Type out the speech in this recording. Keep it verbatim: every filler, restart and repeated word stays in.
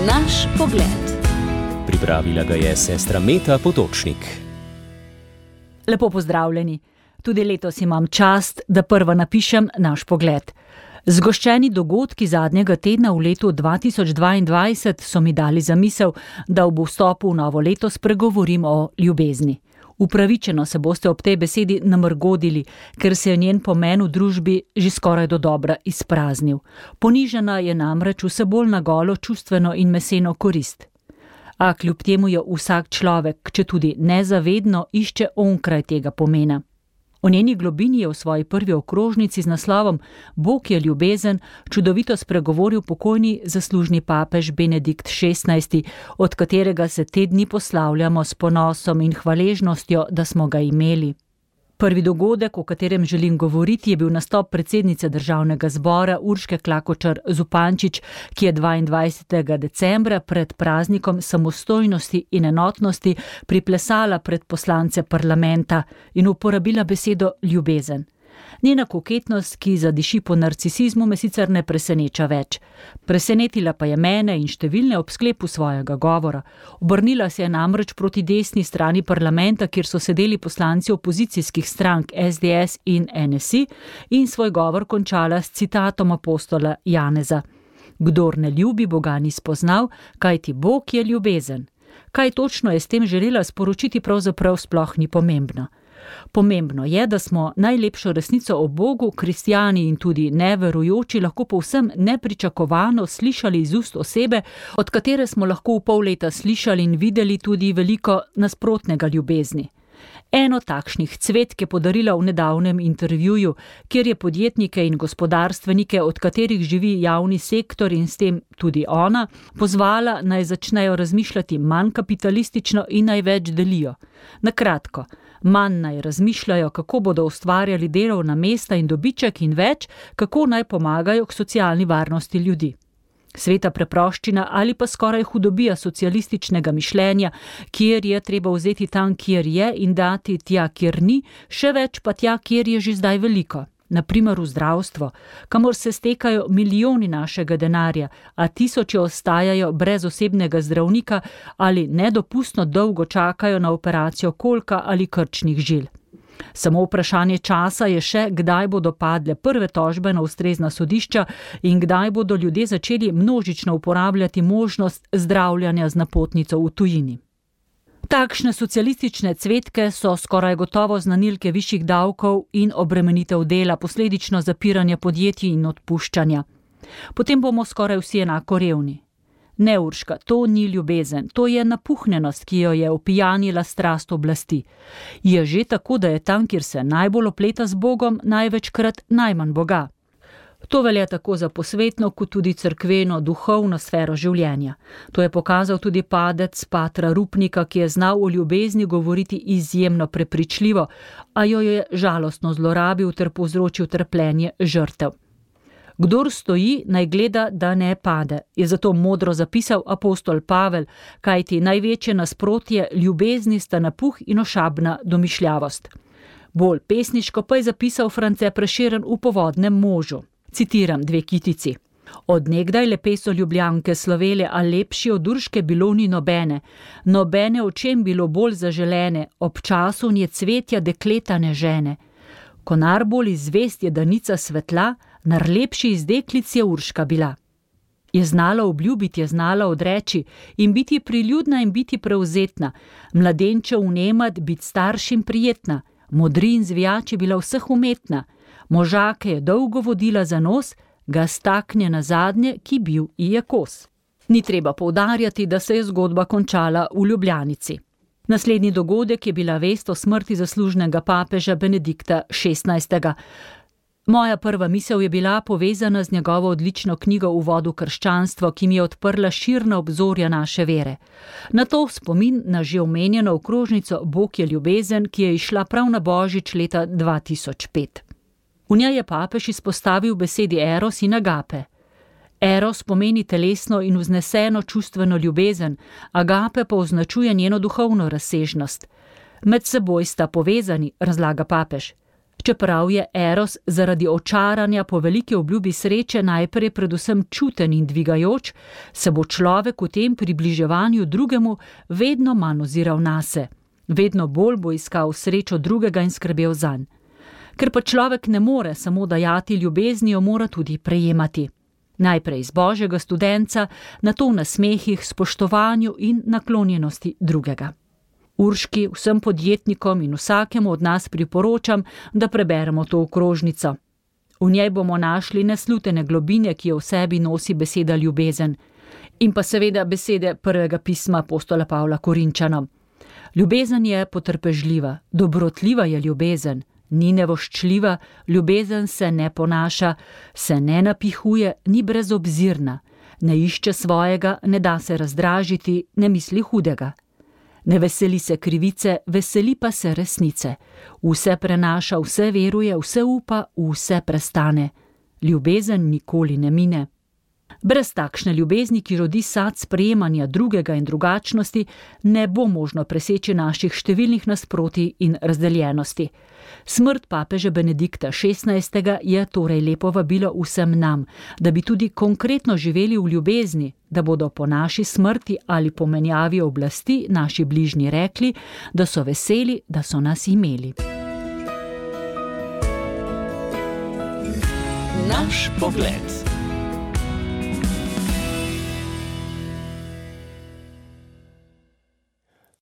Naš pogled. Pripravila ga je sestra Meta Potočnik. Lepo pozdravljeni. Tudi letos imam čast, da prva napišem Naš pogled. Zgoščeni dogodki zadnjega tedna v letu dva tisoč dvaindvajset so mi dali zamisel, da ob vstopu v novo leto spregovorim o ljubezni. Upravičeno se boste ob tej besedi namrgodili, ker se je njen pomen v družbi že skoraj do dobra izpraznil. Ponižena je namreč vse bolj na golo čustveno in meseno korist. A kljub temu jo vsak človek, če tudi nezavedno, išče onkraj tega pomena. O njeni globini je v svoji prvi okrožnici z naslovom Bog je ljubezen čudovito spregovoril pokojni zaslužni papež Benedikt šestnajsti, od katerega se te dni poslavljamo s ponosom in hvaležnostjo, da smo ga imeli. Prvi dogodek, o katerem želim govoriti, je bil nastop predsednice Državnega zbora Urške Klakočar Zupančič, ki je dvaindvajsetega decembra pred praznikom samostojnosti in enotnosti priplesala pred poslance parlamenta in uporabila besedo ljubezen. Njena koketnost, ki zadiši po narcisizmu, me sicer ne preseneča več. Presenetila pa je mene in številne ob sklepu svojega govora. Obrnila se je namreč proti desni strani parlamenta, kjer so sedeli poslanci opozicijskih strank S D S in N S I, in svoj govor končala s citatom apostola Janeza. Kdor ne ljubi, Boga ni spoznal, kajti Bog je ljubezen. Kaj točno je s tem želela sporočiti, pravzaprav sploh ni pomembno. Pomembno je, da smo najlepšo resnico o Bogu, kristjani in tudi neverujoči, lahko povsem nepričakovano slišali iz ust osebe, od katere smo lahko v pol leta slišali in videli tudi veliko nasprotnega ljubezni. Eno takšnih cvetk je podarila v nedavnem intervjuju, kjer je podjetnike in gospodarstvenike, od katerih živi javni sektor in s tem tudi ona, pozvala naj začnejo razmišljati manj kapitalistično in naj več delijo. Na kratko, manj naj razmišljajo, kako bodo ustvarjali delovna mesta in dobiček, in več, kako naj pomagajo k socialni varnosti ljudi. Sveta preproščina ali pa skoraj hudobija socialističnega mišljenja, kjer je treba vzeti tam, kjer je, in dati tja, kjer ni, še več pa tja, kjer je že zdaj veliko. Naprimer v zdravstvo, kamor se stekajo milijoni našega denarja, a tisoči ostajajo brez osebnega zdravnika ali nedopustno dolgo čakajo na operacijo kolka ali krčnih žil. Samo vprašanje časa je še, kdaj bodo padle prve tožbe na ustrezna sodišča in kdaj bodo ljudje začeli množično uporabljati možnost zdravljanja z napotnico v tujini. Takšne socialistične cvetke so skoraj gotovo znanilke višjih davkov in obremenitev dela, posledično zapiranja podjetij in odpuščanja. Potem bomo skoraj vsi enako revni. Ne, Urška, to ni ljubezen, to je napuhnjenost, ki jo je opijanila strast oblasti. Je že tako, da je tam, kjer se najbolj opleta z Bogom, največkrat najmanj Boga. To velja tako za posvetno, kot tudi cerkveno, duhovno sfero življenja. To je pokazal tudi padec patra Rupnika, ki je znal o ljubezni govoriti izjemno prepričljivo, a jo je žalostno zlorabil ter povzročil trpljenje žrtev. Kdor stoji, naj gleda, da ne pade, je zato modro zapisal apostol Pavel, kajti največje nasprotje ljubezni sta napuh in ošabna domišljavost. Bolj pesniško pa je zapisal France Prešeren v Povodnem možu. Citiram dve kitici. Od nekdaj lepe so Ljubljanke slovele, a lepši od Urške bilo ni nobene. Nobene očem bilo bolj zaželene, ob času nje cvetja dekleta ne žene. Konar bolj izvest je danica svetla, nar lepši iz deklic je Urška bila. Je znala obljubiti, je znala odreči in biti priljudna in biti prevzetna, mladenče vnemat, biti staršim prijetna, modri in zvijači bila vseh umetna, možake je dolgo vodila za nos, ga staknje na zadnje, ki bil ji je kos. Ni treba poudarjati, da se je zgodba končala v Ljubljanici. Naslednji dogodek je bila vest o smrti zaslužnega papeža Benedikta šestnajstega. Moja prva misel je bila povezana z njegovo odlično knjigo Uvod v krščanstvo, ki mi je odprla širna obzorja naše vere. Na to spomin na že omenjeno okrožnico Bog je ljubezen, ki je išla prav na Božič leta dva tisoč pet. V njej je papež izpostavil besedi eros in agape. Eros pomeni telesno in vzneseno čustveno ljubezen, agape pa označuje njeno duhovno razsežnost. Med seboj sta povezani, razlaga papež. Čeprav je eros zaradi očaranja po veliki obljubi sreče najprej predvsem čuten in dvigajoč, se bo človek v tem približevanju drugemu vedno manj oziral nase. Vedno bolj bo iskal srečo drugega in skrbel zanj. Ker pa človek ne more samo dajati ljubezni, jo mora tudi prejemati. Najprej iz božjega studenca, nato v nasmehih, spoštovanju in naklonjenosti drugega. Urški, vsem podjetnikom in vsakemu od nas priporočam, da preberemo to okrožnico. V njej bomo našli neslutene globine, ki jo v sebi nosi beseda ljubezen. In pa seveda besede prvega pisma apostola Pavla Korinčanom. Ljubezen je potrpežljiva, dobrotljiva je ljubezen, ni nevoščljiva, ljubezen se ne ponaša, se ne napihuje, ni brezobzirna, ne išče svojega, ne da se razdražiti, ne misli hudega. Ne veseli se krivice, veseli pa se resnice. Vse prenaša, vse veruje, vse upa, vse prestane. Ljubezen nikoli ne mine. Brez takšne ljubezni, ki rodi sad sprejemanja drugega in drugačnosti, ne bo možno preseči naših številnih nasprotij in razdeljenosti. Smrt papeža Benedikta šestnajstega je torej lepo vabilo vsem nam, da bi tudi konkretno živeli v ljubezni, da bodo po naši smrti ali po menjavi oblasti naši bližnji rekli, da so veseli, da so nas imeli. Naš pogled.